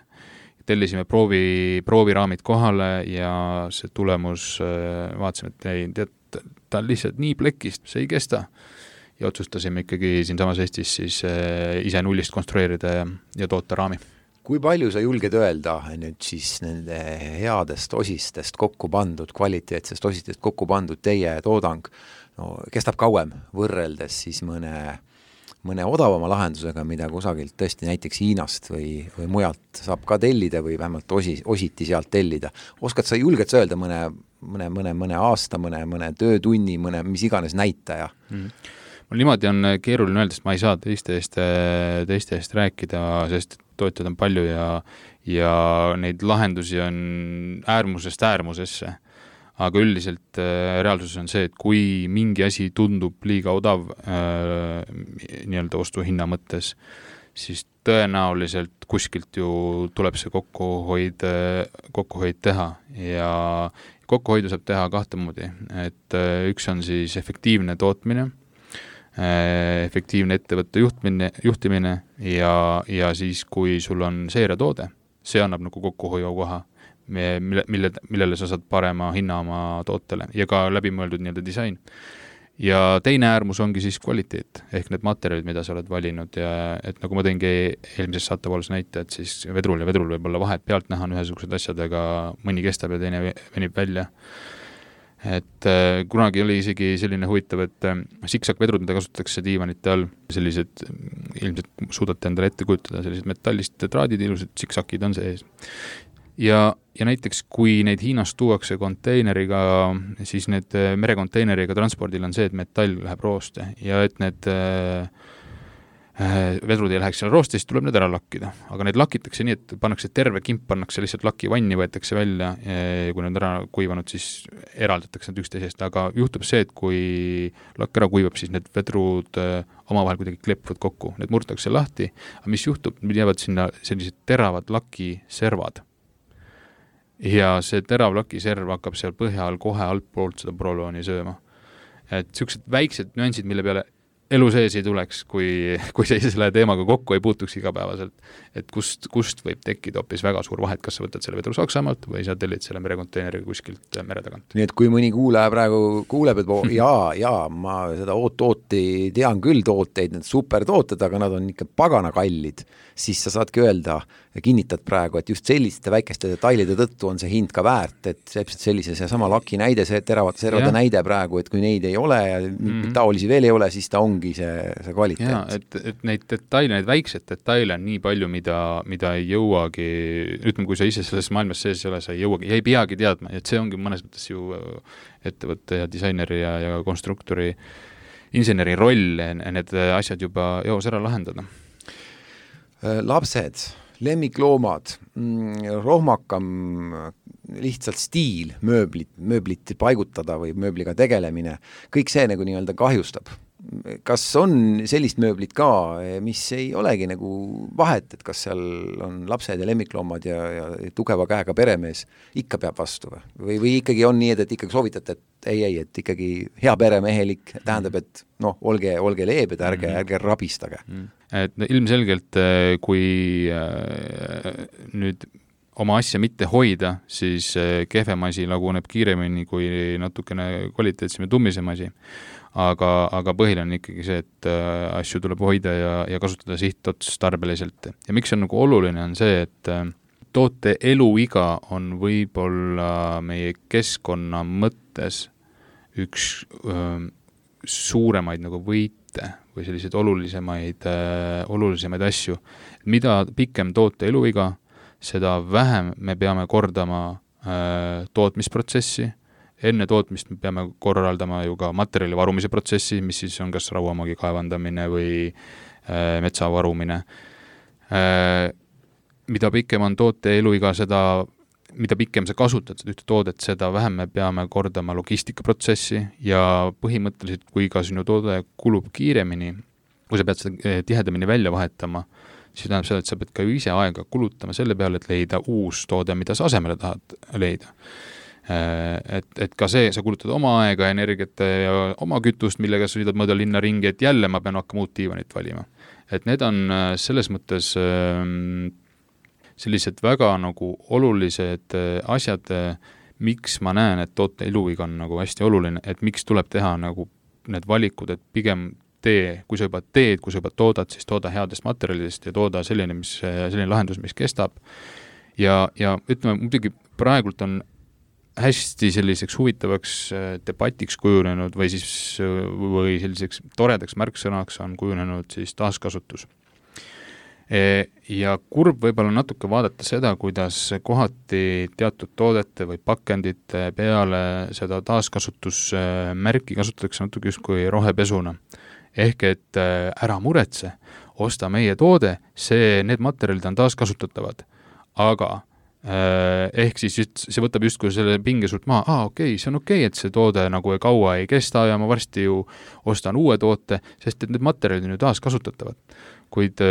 tellisime prooviraamid kohale ja see tulemus, vaatasime, et ei, tead, ta on lihtsalt nii plekist, see ei kesta. Ja otsustasime ikkagi siinsamas Eestis siis ise nullist konstrueerida ja toota raami. Kui palju sa julged öelda nüüd siis nende headest osistest kokku pandud, kvaliteetsest osistest kokku pandud teie toodang kestab kauem võrreldes siis mõne odavama lahendusega, mida kusagilt tõesti näiteks Hiinast või mujalt saab ka tellida või vähemalt ositi sealt tellida. Oskad sa julged sa öelda mõne aasta, mõne töötunni, mis iganes näitaja? Mul niimoodi on keeruline öelda, sest ma ei saa teiste eest rääkida, sest tootjad on palju ja neid lahendusi on äärmusest äärmusesse. Aga üldiselt reaalsus on see, et kui mingi asi tundub liiga odav nii-öelda ostuhinna mõttes, siis tõenäoliselt kuskilt ju tuleb see kokkuhoid teha ja kokkuhoidu saab teha kahte moodi, et üks on siis efektiivne tootmine, efektiivne ettevõtte juhtimine ja siis, kui sul on seeriatoode, see annab nagu kokkuhoiu koha, millele sa saad parema hinna oma tootele ja ka läbimõeldud nii-öelda disain. Ja teine äärmus ongi siis kvaliteet, ehk need materjalid, mida sa oled valinud ja et nagu ma tõingi eelmises saatepoolus näite, et siis vedrul võib olla vahet pealt näha on ühesugused asjad, aga mõni kestab ja teine venib välja. Et kunagi oli isegi selline huvitav, et siksakvedrud, mida kasutatakse diivanite all, sellised, ilmselt suudate endale ette kujutada, sellised metallist traadid, ilusad siksakid on sees. Ja näiteks, kui neid Hiinast tuuakse konteineriga, siis need merekonteineriga transpordil on see, et metall läheb rooste ja et need vedrud ei läheks seal rooste, siis tuleb need ära lakkida. Aga need lakitakse nii, et pannakse terve kimp, pannakse lihtsalt lakivanni, võetakse välja ja kui need ära kuivanud, siis eraldatakse need üksteisest. Aga juhtub see, et kui lakk ära kuivab, siis need vedrud omavahel kuidagi kleppuvad kokku. Need murtakse lahti, aga mis juhtub? Need jäävad sinna sellised teravad lakiservad. Ja see terav lakiserv hakkab seal põhja all kohe altpoolt seda prolooni sööma. Et sellised väiksed nüansid, mille peale elu sees ei tuleks, kui sa selle teemaga kokku ei puutuks igapäevaselt, et kust võib tekkida hoopis väga suur vahet, kas sa võtad selle vedru Saksamaalt või sa tellid selle merekonteineriga kuskilt mere tagant. Nii et kui mõni kuulaja praegu kuuleb, et ma seda ooti tean küll tooteid, need supertooted, aga nad on ikka pagana kallid, siis sa saadki öelda ja kinnitad praegu, et just selliste väikeste detailide tõttu on see hind ka väärt, et sellise seesama laki näide, see teravate servade näide praegu, et kui neid ei ole ja taolisi veel ei ole, siis ta ongi see kvaliteet. Ja, et neid detaile, neid väiksed detaile on nii palju, mida ei jõuagi, ütleme, kui sa ise selles maailmas sees ei ole, sa ei jõuagi, ei peagi teadma, et see ongi mõnes mõttes ju ettevõtte ja disaineri ja konstruktori, inseneri roll, need asjad juba joos ära lahendada. Lapsed, lemmikloomad, rohmakam lihtsalt stiil, mööblit paigutada või mööbliga tegelemine, kõik see nagu nii-öelda kahjustab. Kas on sellist mööblit ka, mis ei olegi nagu vahet, et kas seal on lapsed ja lemmikloomad ja tugeva käega peremees ikka peab vastu või ikkagi on nii, et ikkagi soovitate, et et ikkagi hea peremehelik tähendab, et olge leebed, ärge rabistage. Et ilmselgelt, kui nüüd oma asja mitte hoida, siis kehvem asi laguneb kiiremini kui natukene kvaliteetsem ja tummisem asi. Aga põhiline on ikkagi see, et asju tuleb hoida ja kasutada sihtotstarbeliselt. Ja miks on nagu oluline on see, et toote eluiga on võib-olla meie keskkonna mõttes üks suuremaid nagu võite või selliseid olulisemaid asju. Mida pikem toote eluiga, seda vähem me peame kordama tootmisprotsessi. Enne tootmist me peame korraldama ju ka materjali varumise protsessi, mis siis on kas rauamaagi kaevandamine või metsa varumine. Mida pikem on toote eluiga, mida pikem sa kasutad seda ühte toodet, seda vähem me peame kordama logistikaprotsessi ja põhimõtteliselt, kui ka sinu toode kulub kiiremini, kui sa pead seda tihedamini välja vahetama, siis tähendab seda, et sa pead ka ju ise aega kulutama selle peale, et leida uus toode, mida sa asemele tahad leida. Et ka see, sa kulutad oma aega, energiat ja oma kütust, millega sa sõidad mööda linna ringi, et jälle ma pean hakkama uut diivanit valima. Et need on selles mõttes sellised väga nagu olulised asjad, miks ma näen, et toote eluiga on nagu hästi oluline, et miks tuleb teha nagu need valikud, et pigem kui sa juba teed, kui sa juba toodad, siis tooda headest materjalidest ja tooda selline lahendus, mis kestab. Ja ütleme, muidugi praegult on hästi selliseks huvitavaks debatiks kujunenud või selliseks toredaks märksõnaks on kujunenud siis taaskasutus. Ja kurb võib-olla natuke vaadata seda, kuidas kohati teatud toodete või pakendite peale seda taaskasutusmärki kasutatakse natuke justkui rohepesuna. Ehk et ära muretse, osta meie toode, need materjalid on taaskasutatavad, aga ehk siis see võtab justkui selle pinge sult maha, see on okei, et see toode nagu kaua ei kesta ja ma varsti ju ostan uue toote, sest et need materjalid on ju taaskasutatavad. Kuid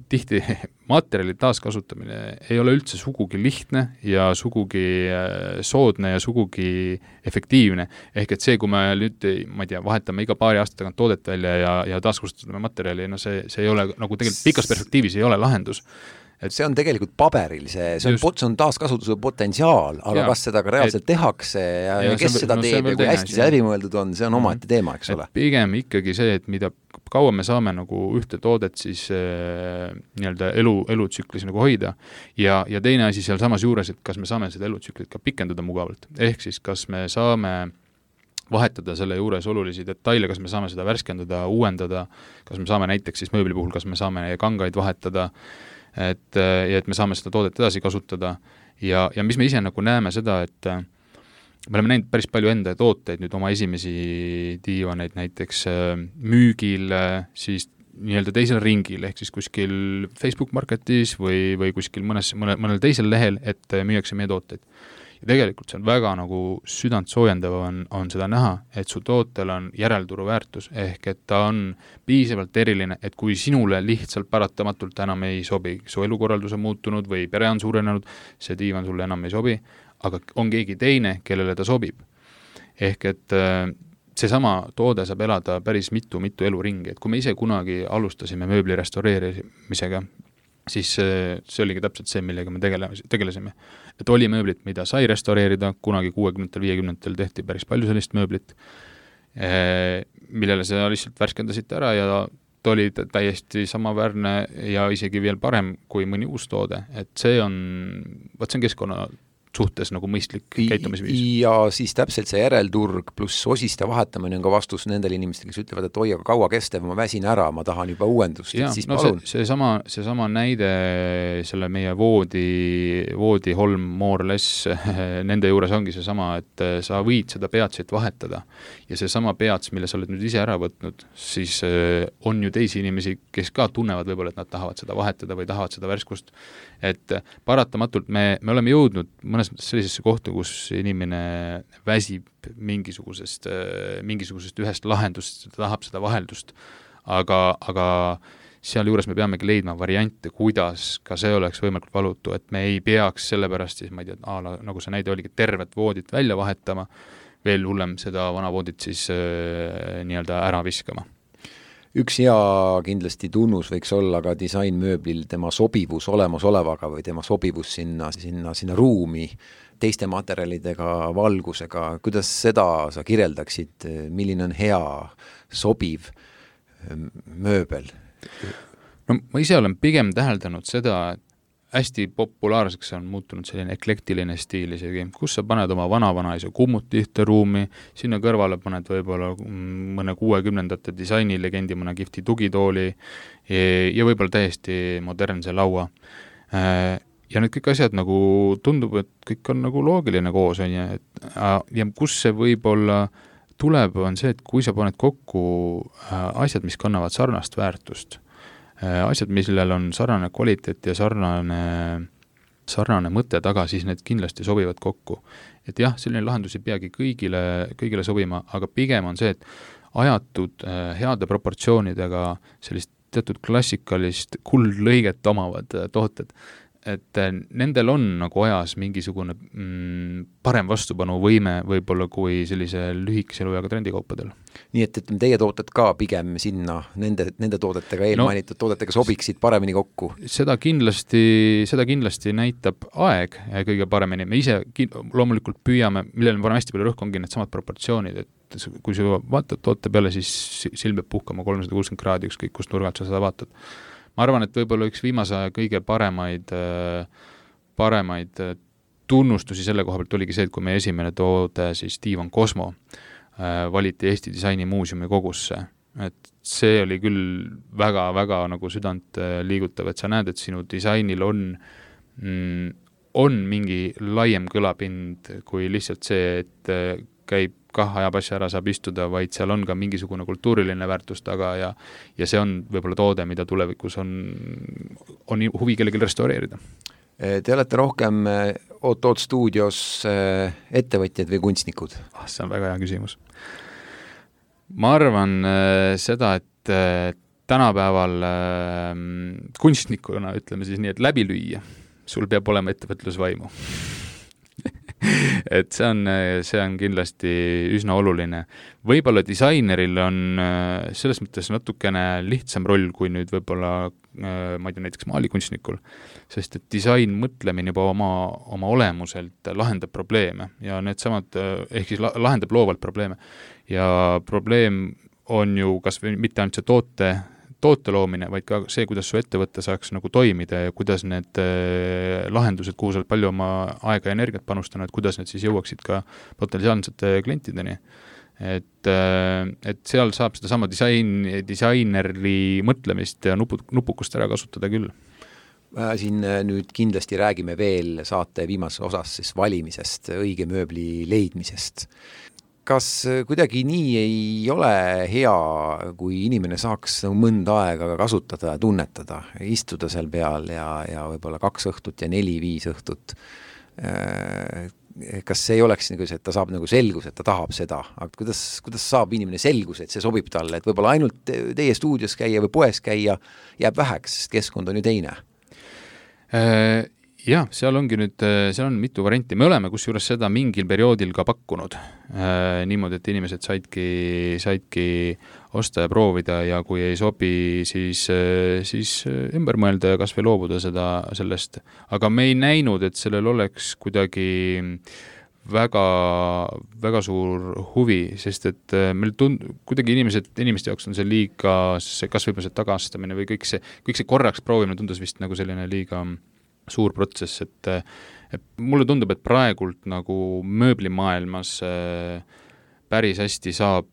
tihti materjali taaskasutamine ei ole üldse sugugi lihtne ja sugugi soodne ja sugugi efektiivne. Ehk et see, kui me nüüd, ma ei tea, vahetame iga paari aasta tagant toodet välja ja taaskasutame materjali, see ei ole nagu tegelikult pikas perspektiivis ei ole lahendus. Et see on tegelikult paberil, see on taaskasutuse potentsiaal, aga kas seda ka reaalselt tehakse ja kes seda teeb ja kui hästi see läbimõeldud on, see on omaette teema, eks ole. Pigem ikkagi see, et mida kaua me saame nagu ühte toodet siis nii-öelda elutsüklis nagu hoida ja teine asi seal samas juures, et kas me saame seda elutsüklit ka pikendada mugavalt. Ehk siis, kas me saame vahetada selle juures olulisi detaile, kas me saame seda värskendada, uuendada, kas me saame näiteks siis mööbli puhul, kas me saame kangaid vahetada, et me saame seda toodet edasi kasutada ja mis me ise nagu näeme seda, et me oleme näinud päris palju enda tooteid, nüüd oma esimesi diivaneid näiteks müügil siis nii-öelda teisel ringil, ehk siis kuskil Facebook Marketis või kuskil mõnel teisel lehel, et müüakse meie tooteid. Ja tegelikult see on väga nagu südant soojendav on seda näha, et su tootel on järelturu väärtus, ehk et ta on piisavalt eriline, et kui sinule lihtsalt paratamatult enam ei sobi, su elukorraldus on muutunud või pere on suurenenud, see diivan sulle enam ei sobi, aga on keegi teine, kellele ta sobib. Ehk et seesama toode saab elada päris mitu eluringi, et kui me ise kunagi alustasime mööbli restaureerimisega, siis see oligi täpselt see, millega me tegelesime. Et oli mööblit, mida sai restaureerida, kunagi 60-50 tehti päris palju sellist mööblit, millele seda lihtsalt värskendasite ära ja ta oli täiesti samaväärne ja isegi veel parem kui mõni uus toode. Et see on keskkonna suhtes nagu mõistlik käitumisviis. Ja siis täpselt see järelturg pluss osiste vahetamine on ka vastus nendele inimestele, kes ütlevad, et oi, aga kaua kestev, ma väsin ära, ma tahan juba uuendust. Ja, siis no seesama näide selle meie voodi holm more less, nende juures ongi seesama, et sa võid seda peatsit vahetada ja seesama peats, mille sa oled nüüd ise ära võtnud, siis on ju teisi inimesi, kes ka tunnevad võib-olla, et nad tahavad seda vahetada või tahavad seda värskust. Et paratamatult me oleme jõudnud mõnes mõttes sellisesse kohta, kus inimene väsib mingisugusest ühest lahendust, ta tahab seda vaheldust, aga seal juures me peamegi leidma variante, kuidas ka see oleks võimalikult valutu, et me ei peaks sellepärast siis, ma ei tea, nagu see näide oligi, tervet voodit välja vahetama, veel hullem seda vana voodit siis nii-öelda ära viskama. Üks hea kindlasti tunnus võiks olla ka disainmööblil tema sobivus olemasolevaga või tema sobivus sinna ruumi teiste materjalidega, valgusega. Kuidas seda sa kirjeldaksid, milline on hea sobiv mööbel? No ma ise olen pigem täheldanud seda, et hästi populaarseks on muutunud selline eklektiline stiil isegi, kus sa paned oma vana-vanaisa kummuti ühte ruumi, sinna kõrvale paned võib-olla mõne 60-ndate disainilegendi, mõne kihvti tugitooli ja võib-olla täiesti modernse laua. Ja need kõik asjad nagu tundub, et kõik on nagu loogiline koos, ja kus see võib-olla tuleb, on see, et kui sa paned kokku asjad, mis kannavad sarnast väärtust, asjad, millel on sarnane kvaliteet ja sarnane mõte taga, siis need kindlasti sobivad kokku. Et jah, selline lahendus ei peagi kõigile sobima, aga pigem on see, et ajatud heade proportsioonidega sellist teatud klassikalist kuldlõiget omavad tooted, et nendel on nagu ajas mingisugune parem vastupanuvõime võib-olla kui sellise lühikese eluajaga trendikaupadel. Nii et teie tooted ka pigem sinna nende toodetega, eelmainitud toodetega sobiksid paremini kokku? Seda kindlasti näitab aeg kõige paremini. Me ise loomulikult püüame, millele me paneme hästi palju rõhku, ongi need samad proportsioonid, et kui sa vaatad toote peale, siis silm peab puhkama 360 kraadi, ükskõik kust nurgalt sa seda vaatad. Ma arvan, et võib-olla üks viimase aja kõige paremaid tunnustusi selle koha pealt oligi see, et kui meie esimene toode, siis Divan Cosmo, valiti Eesti Disainimuuseumi kogusse. Et see oli küll väga-väga nagu südant liigutav, et sa näed, et sinu disainil on mingi laiem kõlapind kui lihtsalt see, et käib ajab asja ära, saab istuda, vaid seal on ka mingisugune kultuuriline väärtus taga ja see on võib-olla toode, mida tulevikus on huvi kellelgi restaureerida. Te olete rohkem Oot stuudios ettevõtjad või kunstnikud? See on väga hea küsimus. Ma arvan seda, et tänapäeval kunstnikuna, ütleme siis nii, et läbi lüüa, sul peab olema ettevõtlusvaimu. Et see on kindlasti üsna oluline. Võib-olla disaineril on selles mõttes natukene lihtsam roll kui nüüd võib-olla, ma ei tea, näiteks maalikunstnikul, sest et disain mõtlemine juba oma olemuselt lahendab probleeme ja needsamad, ehk siis lahendab loovalt probleeme. Ja probleem on ju kas või mitte ainult see toote loomine, vaid ka see, kuidas su ettevõtte saaks nagu toimida ja kuidas need lahendused, kuhu sa oled palju oma aega ja energiat panustanud, kuidas need siis jõuaksid ka potentsiaalsete klientideni. Et seal saab seda sama disainerli mõtlemist ja nupukust ära kasutada küll. Siin nüüd kindlasti räägime veel saate viimases osas siis valimisest, õige mööbli leidmisest. Kas kuidagi nii ei ole hea, kui inimene saaks mõnda aega kasutada ja tunnetada, istuda seal peal ja võib-olla 2 õhtut ja 4-5 õhtut? Kas see ei oleks nagu see, et ta saab nagu selgus, et ta tahab seda, aga kuidas saab inimene selgus, et see sobib talle, et võib-olla ainult teie stuudios käia või poes käia jääb väheks, sest keskkond on ju teine? Jah, seal on mitu varianti. Me oleme kusjuures seda mingil perioodil ka pakkunud. Niimoodi, et inimesed saidki osta ja proovida ja kui ei sobi, siis ümber mõelda ja kas või loobuda sellest. Aga me ei näinud, et sellel oleks kuidagi väga, väga suur huvi, sest et meil kuidagi inimeste jaoks on see liiga, kas võib-olla see tagastamine või kõik see korraks proovimine tundus vist nagu selline liiga suur protsess, et mulle tundub, et praegult nagu mööblimaailmas päris hästi saab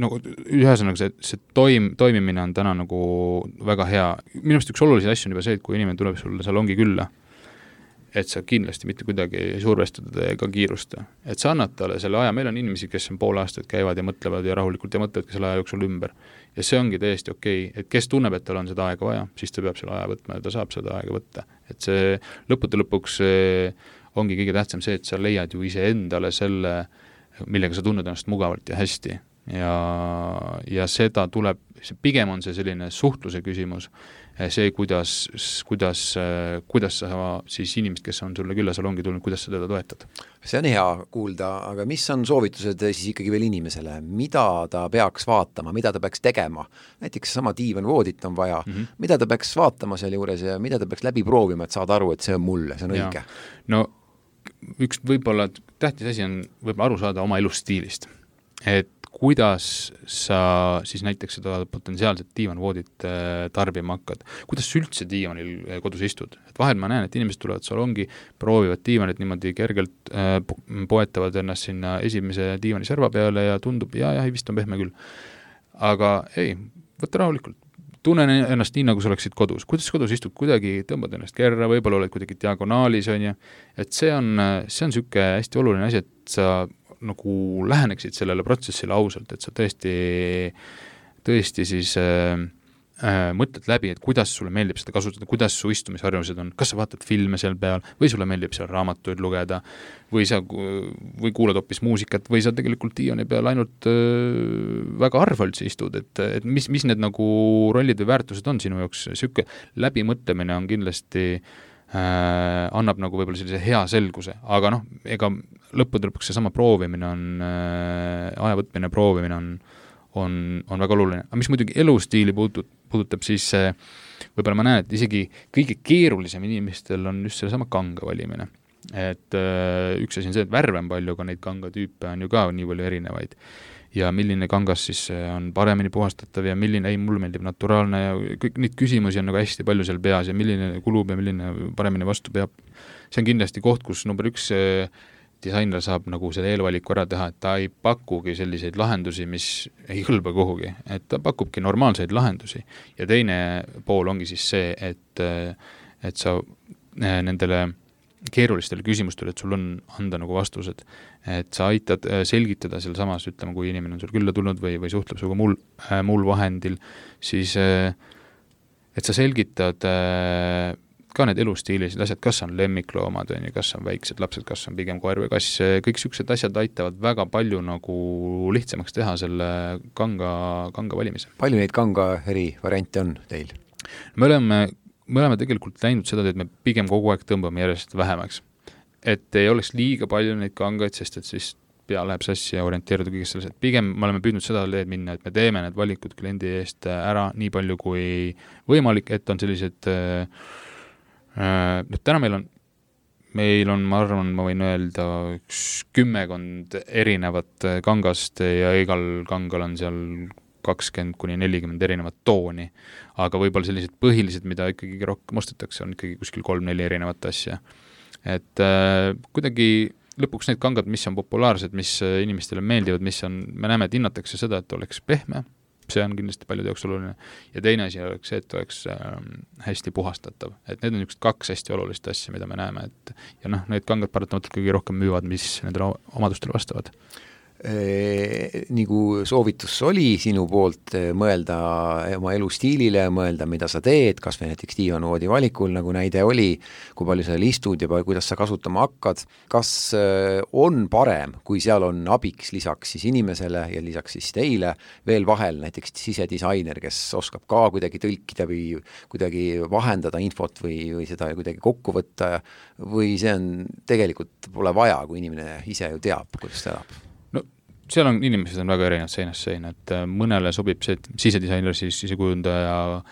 nagu ühesõnaga see toimimine on täna nagu väga hea. Minu arust üks olulisi asju on juba see, et kui inimene tuleb sulle salongi külla, et sa kindlasti mitte kuidagi survestada ega kiirusta. Et sa annad talle selle aja, meil on inimesi, kes on pool aastat käivad ja mõtlevad ja rahulikult ja mõtlevad selle aja jooksul ümber. Ja see ongi täiesti okei, et kes tunneb, et tal on seda aega vaja, siis ta peab selle aja võtma ja ta saab seda aega võtta. Et see lõpuks ongi kõige tähtsam see, et sa leiad ju ise endale selle, millega sa tunned ennast mugavalt ja hästi. Ja seda tuleb, pigem on see selline suhtluse küsimus, see, kuidas sa siis inimest, kes on sulle külla salongi tulnud, kuidas sa teda toetad. See on hea kuulda, aga mis on soovitused siis ikkagi veel inimesele? Mida ta peaks vaatama, mida ta peaks tegema? Näiteks sama diivan voodit on vaja. Mida ta peaks vaatama seal juures ja mida ta peaks läbi proovima, et saada aru, et see on mulle, see on õige? No üks võib-olla tähtis asi on võib-olla aru saada oma elustiilist. Et kuidas sa siis näiteks seda potentsiaalset diivanvoodit tarbima hakkad, kuidas sa üldse diivanil kodus istud. Et vahel ma näen, et inimesed tulevad salongi, proovivad diivanit niimoodi kergelt, poetavad ennast sinna esimese diivani serva peale ja tundub, ja vist on pehme küll. Aga ei, võtta rahulikult. Tunnen ennast nii, nagu sa oleksid kodus. Kuidas kodus istud, kuidagi tõmbad ennast kerra, võib-olla oled kuidagi diagonaalis, on ju. Et see on süke hästi oluline asi, et sa nagu läheneksid sellele protsessile ausalt, et sa tõesti siis mõtled läbi, et kuidas sulle meeldib seda kasutada, kuidas su istumisharjumused on, kas sa vaatad filme seal peal või sulle meeldib seal raamatuid lugeda või kuulad hoopis muusikat või sa tegelikult diivani peal ainult väga harva üldse istud, et mis need nagu rollid või väärtused on sinu jaoks, siuke läbimõtlemine on kindlasti annab nagu võib-olla sellise hea selguse, aga ega lõppude lõpuks seesama proovimine on, aja võtmine, proovimine on väga oluline. Aga mis muidugi elustiili puudutab, siis võib-olla ma näen, et isegi kõige keerulisem inimestel on just sellesama kanga valimine. Et üks asi on see, et värve on palju, aga neid kangatüüpe on ju ka nii palju erinevaid. Ja milline kangas siis on paremini puhastatav ja milline, mulle meeldib naturaalne ja kõik neid küsimusi on nagu hästi palju seal peas ja milline kulub ja milline paremini vastu peab. See on kindlasti koht, kus number 1 disainer saab nagu selle eelvaliku ära teha, et ta ei pakugi selliseid lahendusi, mis ei hõlba kuhugi, et ta pakubki normaalseid lahendusi. Ja teine pool ongi siis see, et sa nendele keerulistele küsimustele, et sul on anda nagu vastused, et sa aitad selgitada seal samas, ütleme, kui inimene on sul külla tulnud või suhtleb suga muul vahendil, siis et sa selgitad ka need elustiilised asjad, kas on lemmikloomad, kas on väiksed lapsed, kas on pigem koer või kass, kõik siuksed asjad aitavad väga palju nagu lihtsamaks teha selle kanga valimise. Palju neid kanga eri variante on teil? Me oleme tegelikult läinud seda, et me pigem kogu aeg tõmbame järjest vähemaks. Et ei oleks liiga palju neid kangaid, sest et siis pea läheb sassi ja orienteeruda kõigest selles, et pigem me oleme püüdnud seda teed minna, et me teeme need valikud kliendi eest ära nii palju kui võimalik, et on sellised täna meil on, ma arvan, ma võin öelda 10 erinevat kangast ja igal kangal on seal 20-40 erinevat tooni, aga võib-olla sellised põhilised, mida ikkagi rohkem ostetakse, on ikkagi kuskil 3-4 erinevat asja. Et kuidagi lõpuks need kangad, mis on populaarsed, mis inimestele meeldivad, me näeme, et hinnatakse seda, et oleks pehme, see on kindlasti paljude jaoks oluline. Ja teine asi oleks see, et oleks hästi puhastatav. Et need on 2 hästi olulist asja, mida me näeme. Ja need kangad paratamatult kõige rohkem müüvad, mis nendele omadustele vastavad. Nagu soovitus oli sinu poolt mõelda oma elustiilile, mõelda, mida sa teed, kas või näiteks diivanvoodi valikul, nagu näide oli, kui palju sa istud ja kuidas sa kasutama hakkad. Kas on parem, kui seal on abiks lisaks siis inimesele ja lisaks siis teile veel vahel näiteks sisedisainer, kes oskab ka kuidagi tõlkida või kuidagi vahendada infot või seda kuidagi kokku võtta või see on tegelikult pole vaja, kui inimene ise ju teab, kuidas ta elab? Seal on inimesed on väga erinevad seinast seina, et mõnele sobib see, et sisedisainer, siis sisekujundaja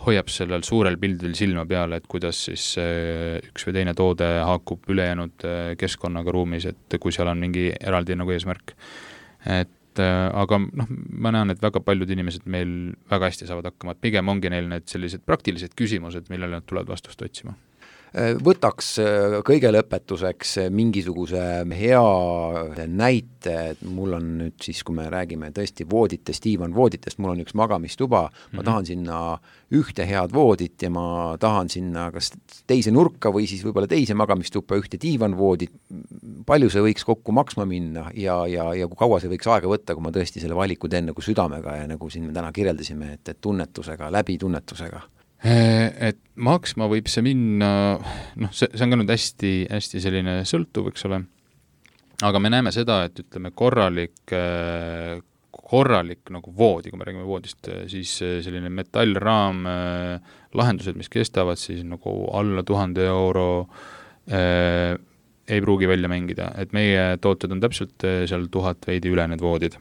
hoiab sellel suurel pildil silma peale, et kuidas siis üks või teine toode haakub ülejäänud keskkonnaga ruumis, et kui seal on mingi eraldi nagu eesmärk. Aga ma näen, et väga paljud inimesed meil väga hästi saavad hakkama, et pigem ongi neil need sellised praktilised küsimused, millele nad tulevad vastust otsima. Võtaks kõige lõpetuseks mingisuguse hea näite, et mul on nüüd siis, kui me räägime tõesti vooditest, diivanvooditest, mul on üks magamistuba, ma tahan sinna ühte head voodit ja ma tahan sinna kas teise nurka või siis võib-olla teise magamistuppa ühte diivanvoodit. Palju see võiks kokku maksma minna ja kui kaua see võiks aega võtta, kui ma tõesti selle valiku teen nagu südamega ja nagu siin me täna kirjeldasime, et tunnetusega, läbi tunnetusega? Et maksma võib see minna, see on ka nüüd hästi selline sõltuv, eks ole, aga me näeme seda, et ütleme korralik nagu voodi, kui me räägime voodist, siis selline metallraam lahendused, mis kestavad siis nagu alla 1000 euro ei pruugi välja mängida, et meie tooted on täpselt seal 1000 veidi üle need voodid.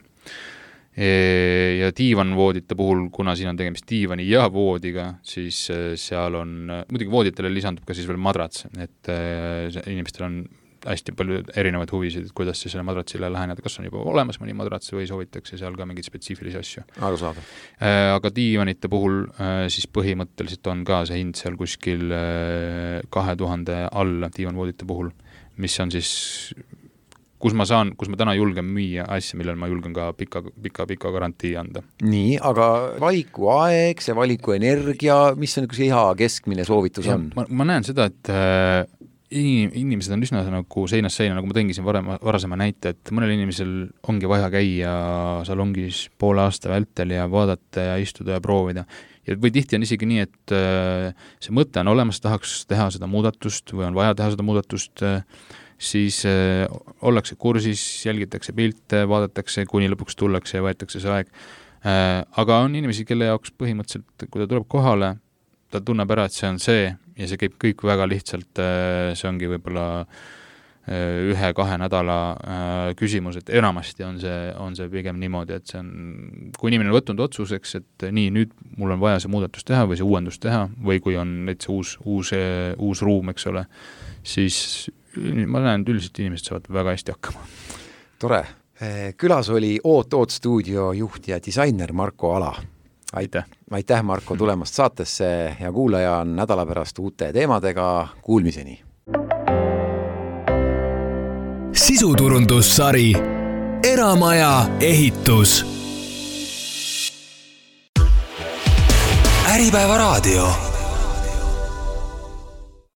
Ja diivanvoodite puhul, kuna siin on tegemist diivani ja voodiga, siis seal on, muidugi vooditele lisandub ka siis veel madrats, et inimestel on hästi palju erinevaid huvisid, et kuidas siis selle madratsile läheneda, kas on juba olemas mõni madrats või soovitakse seal ka mingeid spetsiifilisi asju. Aga diivanite puhul siis põhimõtteliselt on ka see hind seal kuskil 2000 alla diivanvoodite puhul, mis on siis kus ma täna julgen müüa asja, millel ma julgen ka pika garantii anda. Nii, aga valiku aeg, see valiku energia, mis on üks hea keskmine soovitus on? Ma näen seda, et inimesed on üsna nagu seinast seina, nagu ma tõingi siin varasema näite, et mõnel inimesel ongi vaja käia salongis poole aasta vältel ja vaadata ja istuda ja proovida. Või tihti on isegi nii, et see mõte on olemas, tahaks teha seda muudatust või on vaja teha seda muudatust, siis ollakse kursis, jälgitakse pilte, vaadatakse, kuni lõpuks tullakse ja võetakse see aeg. Aga on inimesi, kelle jaoks põhimõtteliselt, kui ta tuleb kohale, ta tunneb ära, et see on see ja see käib kõik väga lihtsalt, see ongi võib-olla 1-2 nädala küsimus, et enamasti on see pigem niimoodi, et see on, kui inimene on võtnud otsuseks, et nii, nüüd mul on vaja see muudatus teha või see uuendus teha või kui on näiteks uus ruum, eks ole, siis ma näen, et üldiselt inimesed saavad väga hästi hakkama. Tore. Külas oli Oot stuudio juht ja disainer Marko Ala. Aitäh, Marko, tulemast saatesse ja kuulaja on nädala pärast uute teemadega. Kuulmiseni! Sisuturundussari Eramaja ehitus. Äripäeva raadio.